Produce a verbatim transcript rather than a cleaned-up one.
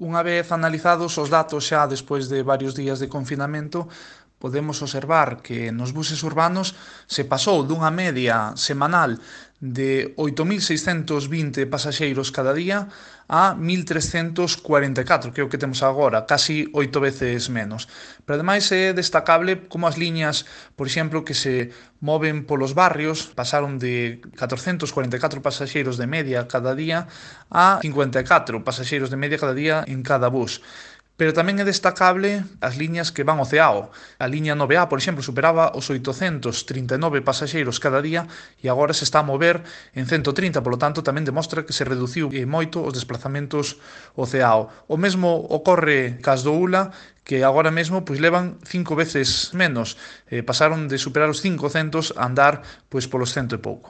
Unha vez analizados os datos xa despois de varios días de confinamento, podemos observar que nos buses urbanos se pasou dunha media semanal de oito mil seiscentos vinte pasaxeiros cada día a mil trescentos cuarenta e catro, que é o que temos agora, casi oito veces menos. Pero ademais é destacable como as liñas, por exemplo, que se moven polos barrios pasaron de catrocentos cuarenta e catro pasaxeiros de media cada día a cincuenta e catro pasaxeiros de media cada día en cada bus. Pero tamén é destacable as liñas que van ao Ceao. A liña nove A, por exemplo, superaba os oitocentos trinta e nove pasaxeiros cada día e agora se está a mover en cento trinta, polo tanto tamén demostra que se reduciu moito os desplazamentos ao Ceao. O mesmo ocorre cas do Ula, que agora mesmo pois levan cinco veces menos, eh, pasaron de superar os cincocentos a andar pois polos cento e pouco.